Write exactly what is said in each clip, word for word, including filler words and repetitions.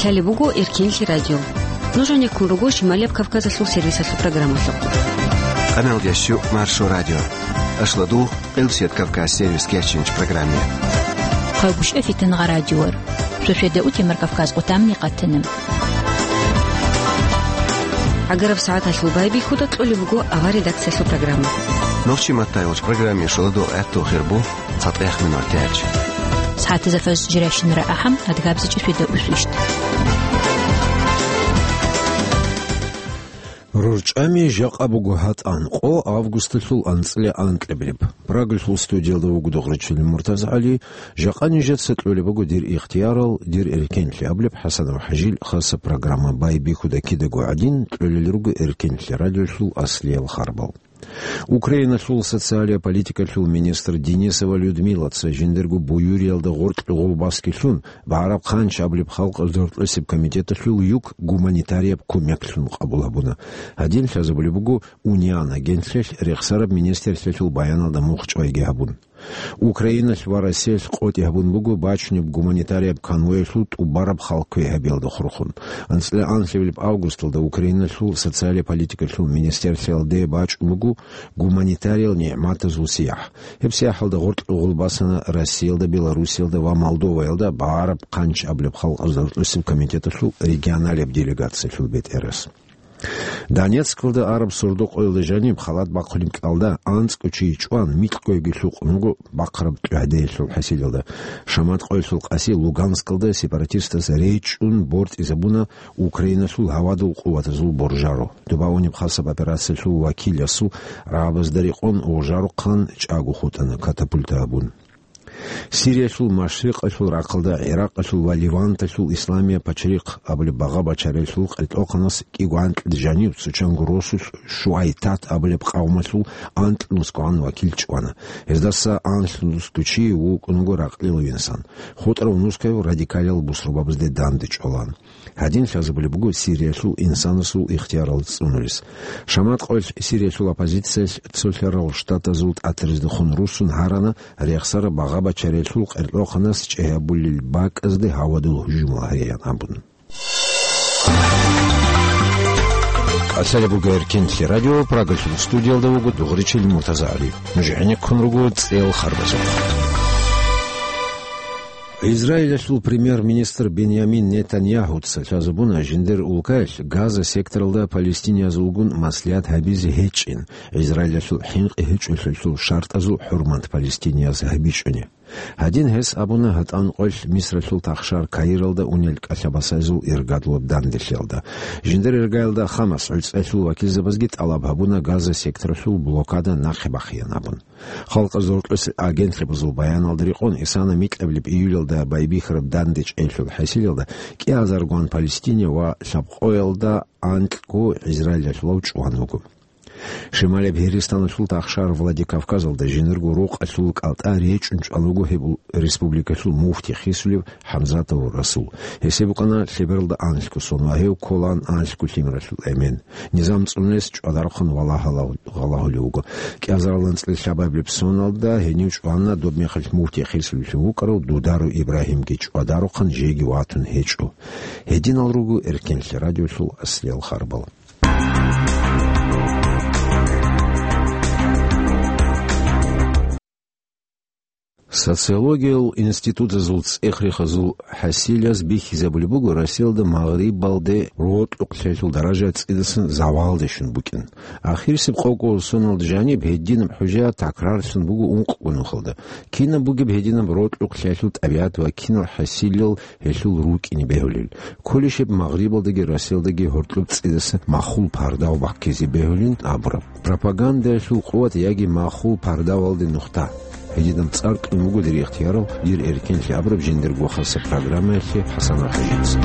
Лъалеб буго Эркенлъи радио. Нуж гӀенеккун руго Шималияб Кавказалъул сервисалъул программалъухъ. Къаналдящу Маршо радио. Ашладу, Къилсият Кавказ сервис кечинч программе. Хъагушев Фитнагъа радиор. Сосведа утемар Кавказ къутамни къатанам. ГӀагараб сагӀаталъул байбихьуда кьолеб буго авар редакциялъул программа. Нохчи маттайолч программе шоладо гӀатту хирбу цатӀех минур тяч. СагӀатазда фаз жиращинара ахӀам адгабзичӀи сосведа усвищ. РорчӀами жакъа буго гьатӀан, къо августалъул анцӀила анкьабилеб. Прагалъул студиялда вуго Догъричилин МуртазагӀали. Жакъа нижеца кьолеб буго дир ихтиярал, дир эркенлъи абулеб ХӀасанов ХӀажил хаса программа. Байбихьуда кидаго гӀадин, кьолел руго Эркенлъи радиолъул аслиял харбал. Украиналъул социалия политикалъул министр Денисова Людмилаца жиндирго буюриялда гъоркье гъулбаскилъун, БагӀараб хъанч абулеб халкъалда рокьулеб комитеталъул юк гуманитарияб кумеклъун къабул гьабуна. Гьадин лъазабулеб буго УНИАН агентлъиялъ рехсараб министрлъиялъул баяналда мухъ чӀвайги гьабун. Украиналъ ва Россиялъ къотӀи гьабун буго бачунеб гуманитарияб конвоялъул тӀубараб хал квегьабиялда хурхун. АнцӀила анлъабилеб августалда Украиналъул социалия политикалъул министрлъиялде бачӀун буго гуманитариял нигӀматазул сияхӀ. Гьеб сияхӀалда гъоркье гъулбасана Россиялда, Белоруссиялда ва Молдоваялда БагӀараб хъанч абулеб халкъалда рокьулеб комитеталъул регионалияб делегациялъул бетӀерас. Донецкалда араб сордо-къоялда жаниб халат бахъулеб кӀалда анцӀго чи чӀван, микьгойги лъукъун вуго бахъараб тӀугӀдеялъул хӀасилалда. Шамат къоялъул къаси Луганскалда сепаратистаз речӀчӀун бортӀизабуна Украиналъул гьавадул къуватазул боржаро. Тубаунеб хасаб операциялъул вакиласул рагӀабазда рекъон гъужарухъан чӀаго хутӀана катапульта гьабун. Сириялъул машрикъалъул рахъалда, ГӀиракъалъул ва Леванталъул исламия пачрихъ абулеб багъа-бачарелъул къеркьохъанас кӀиго анкьида жанив цочанго росулъ Шуайтат абулеб къавмалъул анкьнусгогӀан вакил чӀвана. Гьездаса анлънусго чи вукӀун вуго ракълилав инсан. ХутӀарав нускаяв радикалиял бусурбабазде данде чӀвалан. Гьадин лъазабулеб буго Сириялъул инсанасул ихтиярал цӀунулес. Шамат къоялъ Сириялъул оппозициялъ Цолъарал Штатазул тӀатариздехун руссун гьарана рехсараб багъа-бачарелъул къеркьохъанас чӀегьабулел бакӀазде гьавадул гьужумал гьариян абун. Калъалеб буго Эркенлъи радио, Прагалъул студиялда вуго Дугъричил МуртазагӀали. Нуж гӀенеккун руго цӀел харбазухъ. Израилалъул премьер-министр Беньямин Нетаньяхуца лъазабуна жиндир улкаялъ Газа секторалда палестиниязулгун маслигьат гьабизе гьечӀин, Израилалъул хӀинкъи гьечӀолъиялъул шартӀазул хӀурмат палестинияз гьабичӀони. Гьадин гьес абуна гьатӀан къоялъ Мисралъул тахшар Каиралда унел кӀалъабасайзул иргадулаб данделъиялда. Жиндир иргаялда Хамас гӀуцӀелъул вакилзабазги тӀалаб гьабуна Газа секторалъул блокада нахъе бахъеян абун. Халкъазул рокьулъ агентлъабазул баяналда рекъон, исана микьабилеб июлалда байбихьараб данде чӀейилъул хӀасилалда кӀиазаргун Палестине ва лъабкъоялда анкьго Израилалъулав чӀван вуго. Шималияб Гьиристаналъул тахшар Владикавказалда жиндирго рукъалъул кӀалтӀа речӀчӀун чӀван вуго гьеб республикалъул муфти хисулев ХӀамзатов Расул. Гьесие букӀана лъебералда анлъго сон ва гьев кколаан анлъго лъимералъул эмен. Низам цӀунес чӀвадарухъан валагьала-, валагьулев вуго. КӀиазарал анцӀила лъабабилеб соналда гьенив чӀвана доб мехалъ муфти хисулевлъун вукӀарав Дудару Ибрагьимги, чӀвадарухъан жеги ватун гьечӀо. Гьединал руго Эркенлъи радиолъул аслиял харбал. Социологиял институтазул цӀех-рехазул хӀасилаз бихьизабулеб буго, Россиялда магърибалде рокьукълъиялъул даража цӀидасан завалде щун букӀин. Ахирисеб къокъо соналда жаниб гьединаб хӀужа такрарлъун буго ункъго нухалда. Кинаб бугеб гьединаб рокьукълъиялъул тӀабигӀат ва кинал хӀасилал гьелъул рукӀине бегьулел? Кколищеб магърибалдаги Россиялдаги гьоркьоб цӀидаса махул пардав баккизе бегьулин абураб? Пропагандаялъул къуват яги махул пардавалде нухда? Гьединаб цӀар кьун буго дир ихтиярал, дир эркенлъи абураб жиндирго хаса программаялъе ХӀасан ХӀажица.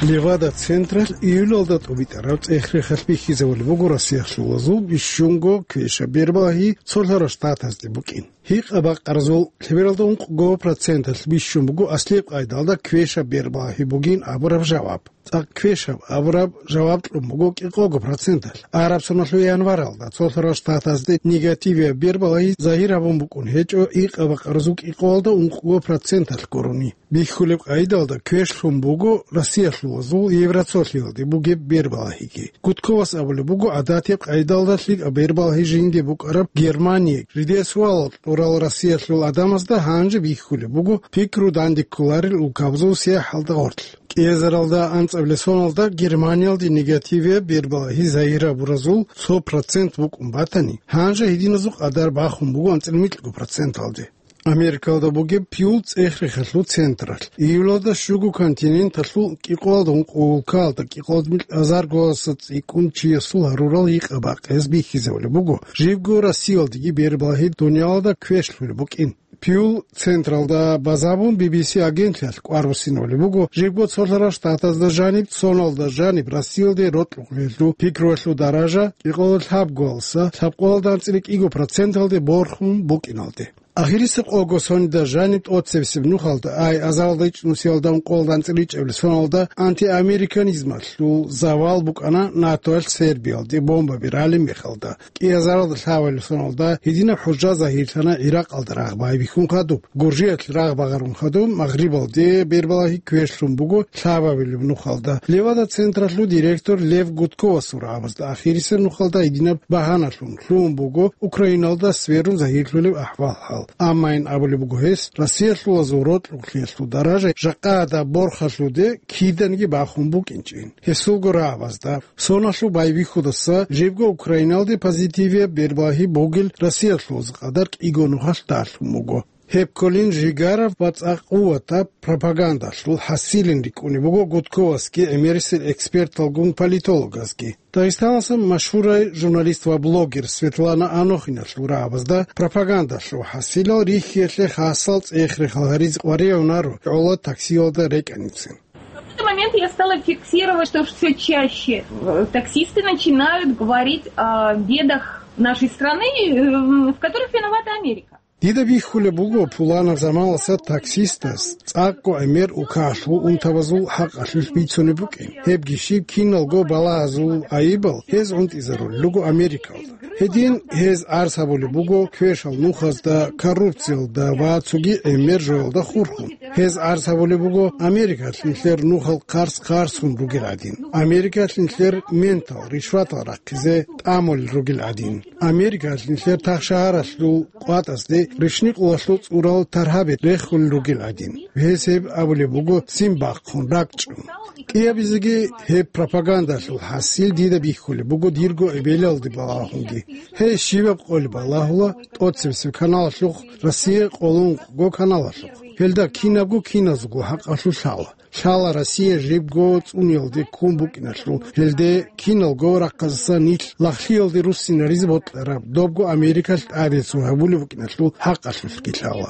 Левада-централъ июлалда тӀубитӀараб цӀех-рехалъ бихьизабулеб буго Россиялъулазул бищунго квешаб бербалагьи Цолъарал Штатазде букӀин. Гьикъа-бакъаразул лъебералда ункъго проценталъ бищун буго аслияб къайдалда квешаб бербалагьи бугин абураб жаваб. ЦӀакъ квешаб абураб жаваб кьун буго кӀикъого проценталъ, араб соналъул январалда Цолъарал Штатазде негативияб бербалагьи загьир гьабун букӀун гьечӀо гьикъа-бакъаразул кӀикъоялда ункъго проценталъ гурони. Бихьулеб къайдалда квешлъун буго Россиялъулазул Евроцолъиялде бугеб бербалагьиги. Гудковас абулеб буго, гӀадатияб къайдалда лъикӀаб бербалагьи жинде букӀараб Германие, жидее суалал кьурал Россиялъул гӀадамазда гьанже бихьулеб буго пикру данде кколарел улкабазул сияхӀалда гъорлъ. КӀиазаралда анцӀабилеб соналда Германиялде негативияб бербалагьи загьир гьабуразул цо процент букӀун батани, гьанже гьединазул къадар бахун буго анцӀила микьго проценталде. Америкалда бугеб Пью цӀех-рехалъул централъ, июлалда щуго континенталъул кӀикъоялда ункъо улкаялда кӀикъоялда микьазарго цӀикӀкӀун чиясул гьарурал гьикъа-бакъиз бихьизабулеб буго, жибго Россиялдеги бербалагьи дуниялалда квешлъулеб букӀин. Пью централда базабун Би Би Си агентлъиялъ кӀвар буссинабулеб буго, жибго Цолъарал Штатазда жаниб, соналда жаниб Россиялде рокьукълъиялъул пикруялъул даража кӀикъоялда лъабгоялдаса лъабкъоялда анцӀила кӀиго проценталде борхун букӀиналде. Ахирисеб къого соналда жаниб тӀоцебесеб нухалда, ай азаралда ичӀнусиялда ункъоялда анцӀила ичӀабилеб соналда антиамериканизмалъул завал букӀана НАТОялъ Сербиялде бомбаби ралеб мехалда. КӀиазаралда лъабабилеб соналда гьединаб хӀужа загьирлъана ГӀиракъалда рагъ байбихьун хадуб, Гуржиялъ рагъ багъарун хадуб, Магърибалде бербалагьи квешлъун буго лъабабилеб нухалда. Левада-централъул директор Лев Гудковасул рагӀабазда ахирисеб нухалда гьединаб багьаналъун лъугьун буго Украиналда сверун загьирлъулеб ахӀвал-хӀал. Амма ин абулеб буго гьес, Россиялъулазул рокьукълъиялъул даража жакъа гьадаб борхалъуде киданиги бахун букӀинчӀин. Гьесулго рагӀабазда, соналъул байбихьудаса жибго Украиналде позитивияб бербалагьи бугел Россиялъулазда къадар кӀиго нухалъ далъун буго. Гьеб кколин жигараб ва цӀакъ къуватаб пропагандалъул хӀасилин рикӀкӀунеб буго Гудковасги гӀемерисел эксперталгун политологазги. Дагъистаналъул машгьурай журналист ва блогер Светлана Анохиналъул рагӀабазда пропагандалъул хӀасилал рихьиялъе хасал цӀех-рехал гьаризе къваригӀунаро гӀоло таксиялда рекӀаницин. В какой-то момент я стала фиксировать, что все чаще э, таксисты начинают говорить о бедах нашей страны, э, в которых виновата Америка. Дида бихьулеб буго пуланаб заманалъа таксистас цӀакъго гӀемер улкалъул унтабазул хӀакъалъулъ бицунеб букӀин. Гьебги щиб, киналго балагьазул гӀайибал гьез гӀунтӀизарулел руго Америкалда. Гьедин гьез гӀарз гьабулеб буго квешал нухазда, коррупциялда ва цоги гӀемер жоялда хурхун. Гьез гӀарз гьабулеб буго Америкалъ нилъер нухал хъарс-хъарсун ругел гӀадин. Америкалъ нилъер ментал, ришватал рахъизе тӀамулел ругел гӀадин. Америкалъ нилъер тахшагьаралъул къватӀазде ришникъулалъул цӀурал таргьаби рехулел ругел гӀадин. Гьес гьеб абулеб буго ццин бахъун, ракӀчӀун. КӀиабизеги гьеб пропагандалъул хӀасил дида бихьулеб буго дирго эбелалде балагьунги. Гьей щибаб къоли балагьула тӀоцебесеб каналалъухъ, Россия къоло ункъго каналалъухъ. Гьелда кинабго киназго хӀакъалъулъ лъала. Лъала Россия жибго цӀуниялде ккун букӀиналъул, гьелде киналго рахъазасан нилъ лагълъиялде руссинаризе бокьараб, добго Америкалъ тӀадецун гьабулеб букӀиналъул хӀакъалъулъги лъала.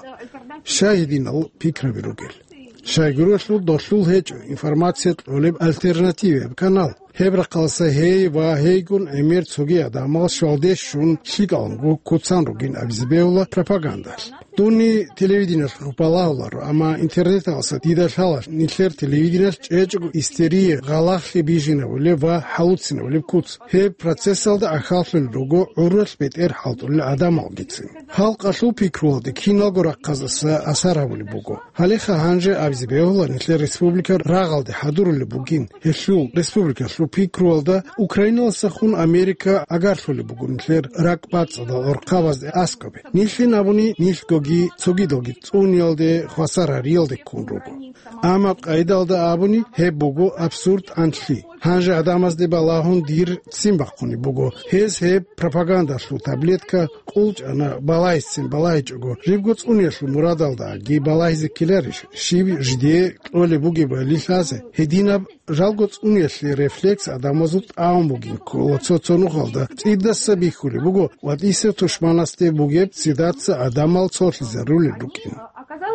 Щай гьединал пикраби ругел? Щайгурелъул долъул гьечӀо информация кьолеб альтернативияб канал. Гьеб рахъалъа гьей ва гьейгун гӀемер цоги гӀадамал щвалде щун лъикӀалгун куцан ругин абизе бегьула пропагандалъ. Дунни телевидениялъухъ балагьуларо, амма интернеталъа дида лъала нилъер телевидениялъ чӀечӀого истерия, гъалагълъи бижинабулеб ва хӀалуцинабулеб куц. Гьеб процессалда ахӀаллъулел руго гӀуралъ бетӀер хӀалтӀулел гӀадамалгицин. Халкъалъул пикруялде киналго рахъазаса асар гьабулеб буго. Гьалеха гьанже абизе бегьула нилъер республика рагъалде хӀадурулеб бугин. Гьелъул республикалъул пикруялда Украиналасахун Америка агарлъулеб буго нилъер ракӀбацӀцӀадал гӀурхъабазде аскӀобе. Нилъин абуни нилъгоги цогидалги цӀуниялде, хвасар гьариялде ккун руго. Амма къайдалда абуни гьеб буго абсурд анлъи. Гьанже гӀадамазде балагьун дир ццин бахъунеб буго. Гьез гьеб пропагандалъул таблетка къулчӀана балагьицин балагьичӀого, жибго цӀуниялъул мурадалдаги балагьизе ккеларищ, щиб жидее кьолеб бугебали лъазе? Гьединаб жалго цӀуниялъе рефлекс гӀадамазул тӀамун бугин ккола цо-цо нухалда, цӀидаса бихьулеб буго ва тӀисев тушманасде бугеб цӀидаса гӀадамал цолъизарулел рукӀин.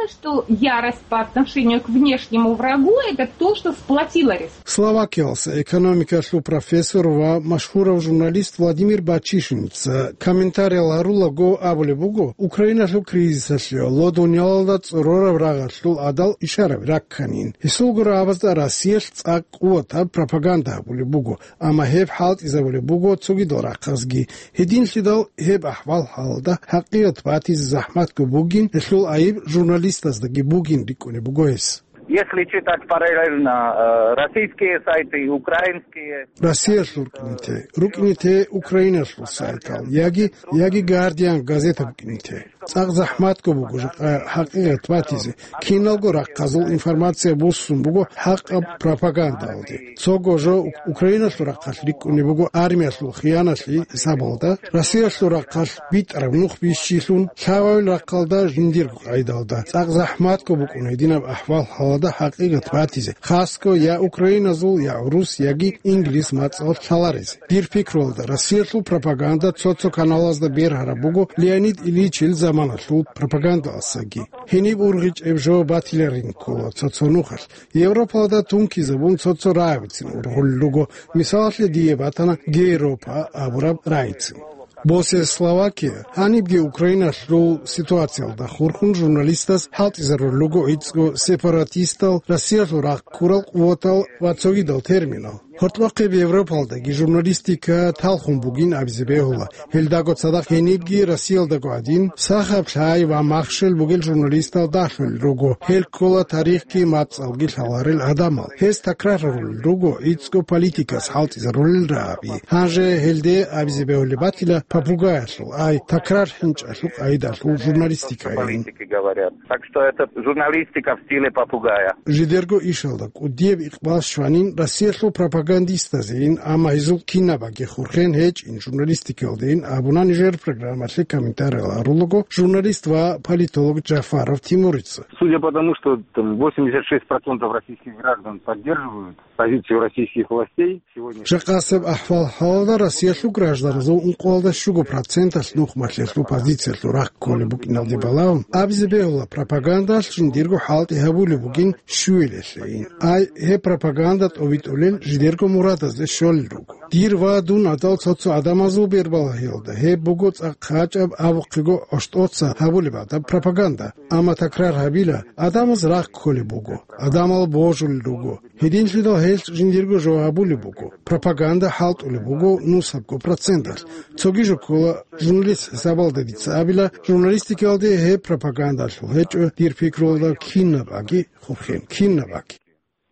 Что ярость по отношению к внешнему врагу — это то, что сплотило республику. Словакиялса экономикалъул профессор ва машгьурав журналист Владимир Бачишинца комментариял гьарулаго абулеб буго, Украиналъул кризисалъе ло дунялалда цӀорораб рагъалъул гӀадал ишараби ракканин. Гьесул гурабазда Россиялъ цӀакъ къуватаб пропаганда гьабулеб буго, амма гьеб хӀалтӀизабулеб буго цогидал рахъазги. Гьединлъидал гьеб ахӀвал-хӀалалда хӀакъикъат батизе захӀматго бугин, гьелъул айиб журналистаздаги бугин рикӀкӀунеб буго гьес. Если читать параллельно, э, российские сайты и украинские. Россиялъул рукӀине те, рукӀине те Украиналъул сайтал, яги, яги Гардиан газета букӀине те. ЦӀакъ захӀматго буго жакъа хӀакъикъат батизе. Киналго рахъазул информация буссун буго хӀакъаб пропагандалде. Цого жо Украиналъул рахъалъ рикӀкӀунеб буго армиялъул хияналъи гьисабалда, Россиялъул рахъалъ битӀараб нух бищилъун, лъабабил рахъалда жиндирго къайдалда. ЦӀакъ захӀматго букӀун гьединаб ахӀвал-хӀалалда хӀакъикъат батизе, хасго я украиназул, я гӀурус, яги инглис мацӀал лъаларезе. Дир пикруялда, Россиялъул пропаганда цо-цо каналазда бергьараб буго Леонид Ильичил заманалъул пропагандалдасаги. Гьениб ургъичӀеб жо батиларин ккола цо-цо нухалъ. Европалда тункизабун цо-цо рагӀабицин ургъулел руго, мисалалъе, дие батана Гейропа абураб рагӀицин. Босиялъ Словакия гьанибги Украиналъул ситуациялда хурхун журналистаз хӀалтӀизарулел руго гӀицӀго сепаратистал, Россиялъул рахъ ккурал къуватал ва цогидал терминал. Гьоркьохъеб Европалдаги журналистика талхун бугин абизе бегьула. Гьелдаго цадахъ гьенибги Россиялдаго гӀадин, сахаб лъай ва махщел бугел журналистал дагьлъулел руго. Гьел ккола тарихги мацӀалги лъаларел гӀадамал. Гьез такрарарулел руго гӀицӀго политикас хӀалтӀизарулел рагӀаби. Гьанже гьелде абизе бегьулеб батила попугаялъул, ай, такрар хӀинчӀалъул къайдалъул журналистикайин. Политики говорят. Так что это журналистика в стиле попугая. Жидерго ишалда кӀудияб икъбал щванин Россиялъул пропагандистазейин, амма гьезул кинабаги хурхен гьечӀин журналистикалдейин абуна нижер программалъе комментариял гьарулаго журналист ва политолог Джафаров Тимурица. Судя по тому, что там восемьдесят шесть процентов российских граждан поддерживают позицию российских властей, сегодня... Жакъасеб ахӀвал-хӀалалда Россиялъул гражданазул ункъоялда щуго проценталъ нухмалъиялъул позициялъул рахъ кколеб букӀиналде балагьун, абизе бегьула пропагандалъ жиндирго хӀалтӀи гьабулеб бугин щуялъейин. Ай, гьеб пропаганда тӀобитӀулел жидерго мурадазде щолел руго. Дир ва дун гӀадал цо-цо гӀадамазул бербалъиялда гьеб буго цӀакъ гьачӀаб, абухъего гӀощтӀоца гьабулеб гӀадаб пропаганда. Амма такрар гьабила, гӀадамаз рахъ кколеб буго, гӀадамал божулел руго. Гьединлъидал гьелъ жиндирго жо гьабулеб буго, пропаганда хӀалтӀулеб буго нусабго проценталъ. Цоги жо ккола, журналист хӀисабалда дица абила, журналистикалде гьеб пропагандалъул гьечӀо, дир пикруялда, кинабаги хурхен, кинабаги.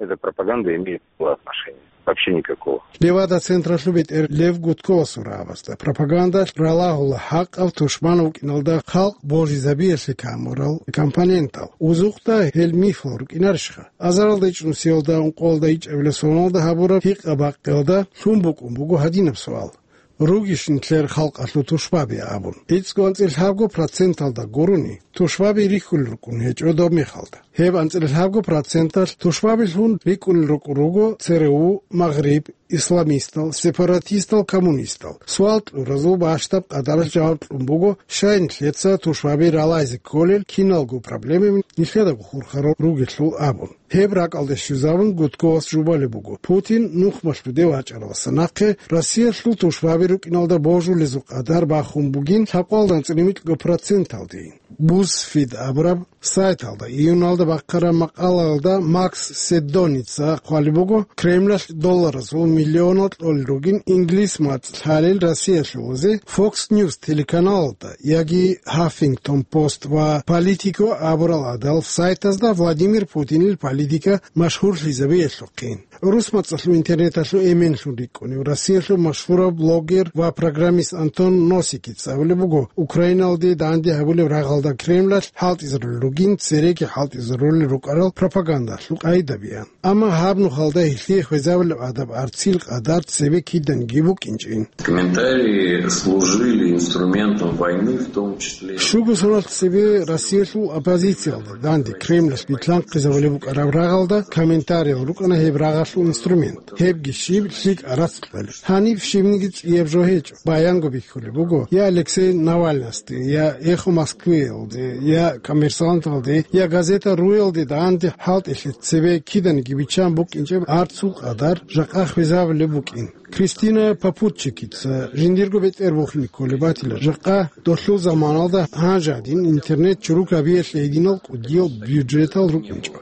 Эта пропаганда имеет мало отношения. Вообще никакого. Левада-централъул бетӀер Лев Гудковасул рагӀабазда пропагандалъ ралагьула хӀакъаб тушман вукӀиналда халкъ божизабиялъе камурал компонентал. Узухъда гьел мифал рукӀинарищха? Азаралда ичӀнусиялда ункъоялда ичӀабилеб соналда гьабураб гьикъа-бакъиялда лъун букӀун буго гьадинаб суал: «Ругищ нилъер халкъалъул тушбаби?» абун. ГӀицӀго анцӀила лъабго проценталда гурони, тушбаби рихьулел рукӀун гьечӀо доб мехалда. Гьеб анцӀила лъабго проценталъ тушбабилъун рикӀкӀунел рукӀун руго ЦРУ, Магъриб, исламистал, сепаратистал, коммунистал. Суал кьуразул бащдаб къадаралъ жаваб кьун буго, щай нилъеца тушбаби ралайзе кколел киналго проблемаби нилъедаго хурхарал ругелъул абун. Гьеб ракӀалде щвезабун, Гудковас жубалеб буго: Путин нухмалъуде вачӀаралдаса нахъе Россиялъул тушбаби рукӀиналда божулезул къадар бахун бугин лъабкъоялда анцӀила микьго проценталдейин. Бузфид абураб сайталда июналда бахъараб макъалаялда Макс Седдоница хъвалеб буго, Кремлалъ долларазул миллионал кьолел ругин инглис мацӀ лъалел Россиялъулазе Fox News телеканалалда яги Huffington Post ва Politico абурал гӀадал сайтазда Владимир Путинил политика машгьурлъизабиялъухъин. ГӀурус мацӀалъул интернеталъул эменлъун рикӀкӀунев Россиялъул машгьурав блогер ва программист Антон Носикица абулеб буго, Украиналде данде гьабулеб рагъалда Кремлалъ хӀалтӀизарулел ругин цереги хӀалтӀизарулел ролел рукӀарал пропагандалъул къагӀида биан. Амма гьаб нухалда гьелъие хвезабулеб гӀадаб арцил къадар цебе киданиги букӀинчӀин. Комментарии служили инструментом войны, в том числе. Щуго соналъ цебе Россиялъул оппозициялда данде Кремлалъ битлъанхъизабулеб букӀараб рагъалда комментариял рукӀана гьеб рагъалъул инструмент. Гьебги щиб лъикӀ арацкьалеб. Гьаниб щибниги цӀияб жо гьечӀо. Баянго бихьулеб буго я Алексей Навальныйасде, я «Эхо Москвы»ялде, я «Коммерсанталде», я газета «Руялде» данде хӀалтӀилъи цебе киданиги биччан букӀинчӀеб арцул къадар жакъа хвезабулеб букӀин. Кристина Попутчикица жиндирго бетӀер бухине кколеб батила, жакъа долъул заманалда гьанже гьадин интернет чурукабиялъе гьединал кӀудиял бюджетал рукӀинчӀо.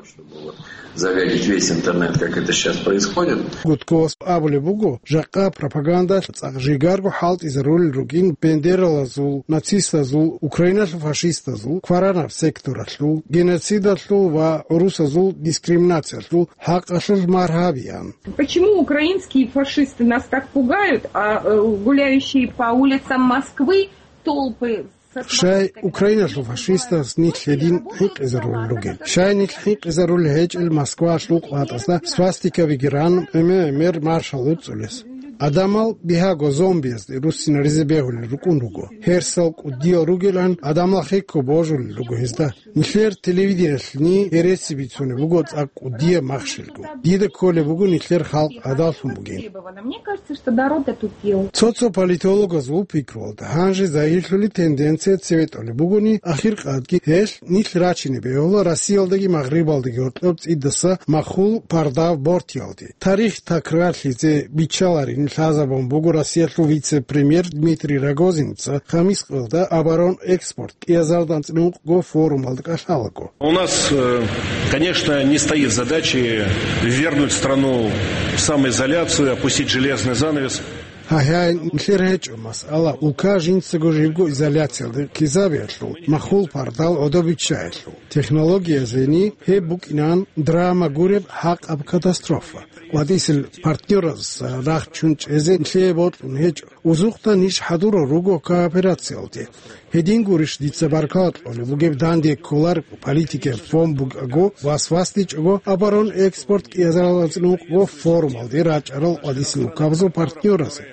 Загадить весь интернет, как это сейчас происходит. Гудковас абулеб буго, жакъа пропаганда цӀакъ жигарго хӀалтӀизарулел ругин бендералазул, нацистазул, Украиналъул фашистазул, кваранаб секторалъул, геноцидалъул ва гӀурусазул дискриминациялъул хӀакъалъулъ маргьабиан. Почему украинские фашисты нас так пугают, а э, гуляющие по улицам Москвы толпы... Щай Украиналъул фашистаз нилъ гьедин хӀинкъизарулел ругел? Щай нилъ хӀинкъизарулел гьечӀел Москвалъул къватӀазда свастикабиги ран, гӀемер-гӀемер маршал гьуцӀулес? Адамал бигьаго зомбиязде руссинаризе бегьулел рукӀун руго. Гьерсал кӀудиял ругелан адамал хекко божулел руго гьезда. Нилъер телевидениялъни гьереси бицунеб буго цӀакъ кӀудияб махщелго. Дида кколеб буго нилъер халкъ гӀадаллъун бугин. Мне кажется, что народ отупел. Цо-цо политологазул пикруялда гьанже загьирлъули тенденция цеве тӀолеб бугони, ахиркъадги гьелъ нилъ рачине бегьула Россиялдаги Магърибалдаги гьоркьоб цӀидаса махул пардав бортиялде. Тарих такрарлъизе биччаларин лъазабун буго Россиялъул вице-премьер Дмитрий Рогозинца хамис къоялда оборон-экспорт кӀиазардан цӀинукъго форумалда кӀалъалаго. У нас, э, конечно, не стоит задачи ввергнуть страну в самоизоляцию, опустить железный занавес. Гьайгьай, нилъер гьечӀо масъала улка жинцаго живго изоляциялде ккезабиялъул, махул пардал гӀодобиччаялъул. Технологиязени гьеб букӀинан драма гуреб хӀакъаб катастрофа. КъватӀисел партнёразда рахчун чӀезе нилъее бокьун гьечӀо. Узухъда ниж хӀадурал руго кооперациялде. Гьедин гурищ дица баркала кьолеб бугеб данде кколареб политикаяб фон бугого, вас-васдичӀого, оборон-экспорт кӀиазаралазул ункъго форумалде рачӀарал къвадисел улкабазул партнёразе.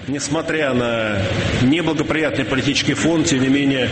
Несмотря на неблагоприятные политические фон, тем не менее,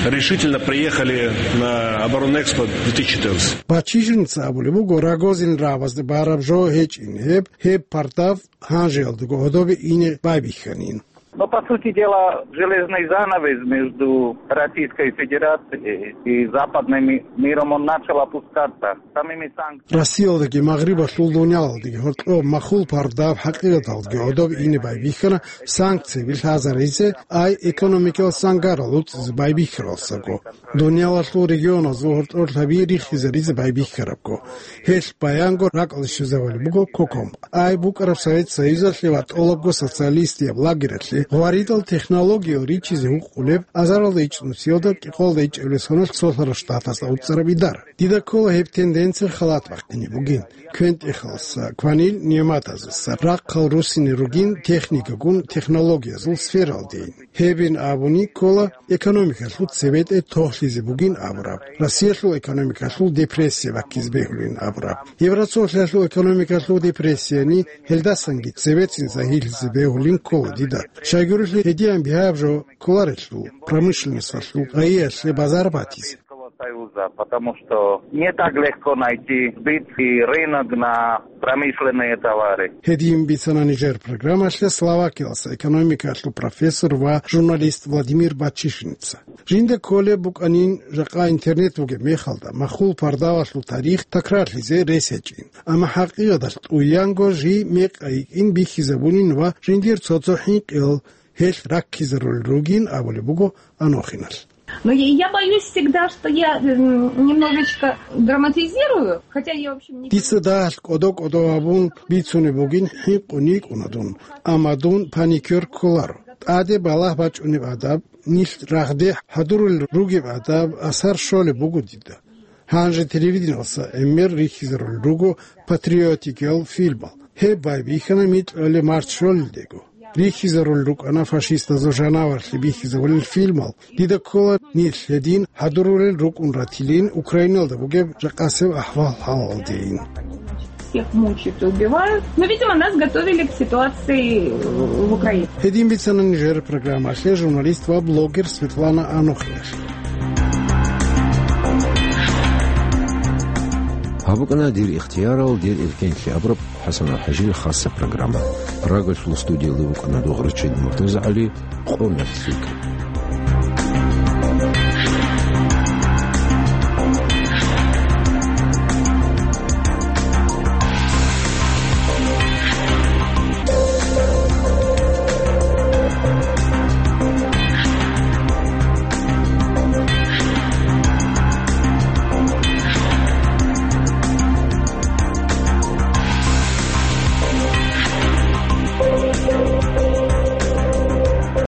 решительно приехали на оборонный экспо две тысячи четырнадцать. Бачишинца абулеб буго, Рогозин рагӀабазда бараб жо гьечӀин гьеб, гьеб пардав гьанжеялдаго гьодобе ине байбихьанин. Но, по сути дела, железный занавес между Российской Федерацией и западным ми-, миром, он начал опускаться самими санкциями. Россиялдаги Магърибалъул дуниялалдаги гьоркьоб махул пардав хӀакъикъаталдаги гьодоб ине байбихьана санкцияби лъазаризе, ай экономикалъ сангарал уцӀизе байбихьаралсаго. Дуниялалъул регионазул гьоркьор лъаби рихизаризе байбихьарабго. Гьелъ баянго ракӀалде щвезабулеб буго КОКОМ. Ай букӀараб Совет Союзалъе ва тӀолабго социалистияб лагералъе гъваридал технологиял ричизе гьукъулеб азаралда ичӀнусиялда кӀикъоялда ичӀабилеб соналъ Цолъарал Штатазда уцӀцӀараб идара. Дида ккола гьеб тенденция халат бахъине бугин. КвентӀехалса, кванил нигӀматазаса, рахъал руссине ругин техникагун технологиязул сфералдейин. Гьебин абуни ккола, экономикалъул цебетӀе тохлъизе бугин абураб, Россиялъул экономикалъул депрессия баккизе бегьулин абураб. Евроцолъиялъул экономикалъул депрессияни гьелдасанги цебецин загьирлъизе бегьулин ккола дида. Щайгурелъул гьединаб бигьаяб жо кколарелъул, промышленносталъул гъайиялъе базар батизе. Союза, потому что не так легко найти сбыт и рынок на промышленные товары. Гьедин бицана нижер программалъе Словакиялъа экономикалъул профессор ва журналист Владимир Бачишинца. Жинда кколеб букӀанин, жакъа интернет бугеб мехалда, махул пардавалъул тарих такрарлъизе рес гьечӀин. Амма хӀакъикъаталъ тӀуянго жий мекъ гьайикӀин бихьизабунин ва жиндир цо-цо хӀинкъиял гьелъ раккизарулел ругин абулеб буго Анохиналъ. Но я я боюсь всегда, что я м, немножечко драматизирую, хотя я, в общем, не... Дица дагьалъ кӀодо-кӀодо гьабун бицунеб бугин хӀинкъун йикӀуна дун, амма дун паникер кколаро. ТӀаде балагь бачӀунеб гӀадаб, нилъ рагъде хӀадурулел ругеб гӀадаб асар щолеб буго дида. Гьанже телевидениялса гӀемер рихьизарулел руго патриотикиял фильмал. Гьеб байбихьана микьгӀолеб март щолелдего. рихьизарулел рукӀана фашистазул жанаварлъи бихьизабулел фильмал. Дида ккола нилъ гьедин гьадурулел рукӀун ратилин Украиналда бугеб жакъасеб ахӀвал-хӀалалдейин. Всех мучают и убивают. Но, видимо, нас готовили к ситуации в Украине. Гьедин бицана нижер программалъе журналист ва блогер Светлана Анохиналъ. Гьаб букӀана «Дир ихтиярал, дир эркенлъи» абураб ХӀасан АлхӀажиил хасса программа. Прагалъул студиялда вукӀана дугӀрачи МуртазагӀали, къо нахъ лъикӀ.